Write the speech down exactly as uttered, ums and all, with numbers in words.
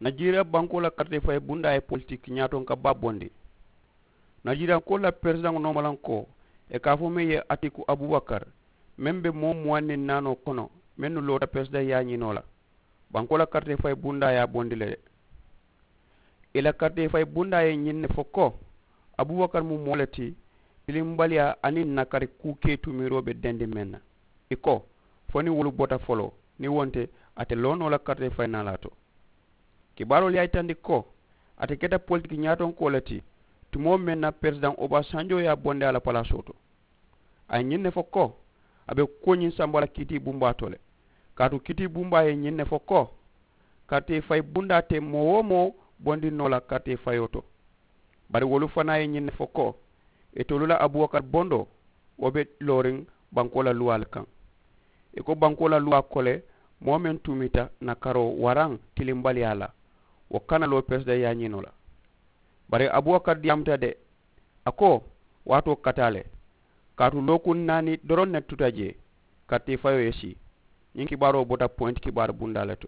Najeriya bankoo la karitee fayi bundaa ye politiki ñaatonka baa bondi. Najeriyankoolu la peresidaŋo noomalankoo ye ka a fo meŋ ye atiku abubakar, meŋ be moo muwaŋ niŋ naanoo kono, mennu loota peresidaŋ yaañinoo la, bankoo la karitee fayi bundaa ye a bondi le de. Ì la karitee fayi bundaa ye ñiŋ ne fo ko, abubakar mu moo le ti, tilimbaliyaa aniŋ nakari kuu kee tumiiroo be dendiŋ meŋ na. Ì ko, fo niŋ wolu bota foloo, niŋ wo nte, a te loo noo la karitee fayi naalaa to. Kibaaroolu ye a yitandi ko, ate keta politiki ñaatonkoo le ti, tumoo meŋ na peresidaŋ obasanjoo ye a bondi a la palaasoo to. A ye ñiŋ ne fo ko, a be kuwo ñiŋ samba la kiitii bumbaa to le. Kaatu kiitii bumbaa ye ñiŋ ne fo ko, karitee fayi bundaa te moo-wo-moo bondi noo la karitee fayoo to. Bari wolu fanaa ye ñiŋ ne fo ko, itolu la abubakar bondoo, wo be looriŋ bankoo la luwaa le kaŋ. Ì ko bankoo la luwaa ko le, moo meŋ tuumita nakaroo waraŋ tilimbaliyaa la, wo kana loo peresidaŋ yaañinoo la. Bari abubakar diyaamuta de. A ko, waatoo ka taa le. Kaatu lookuŋ naani doroŋ ne tuta jee, karitee fayoo ye sii. Ñiŋ kibaaroo bota poyinti kibaaru bundaa le to.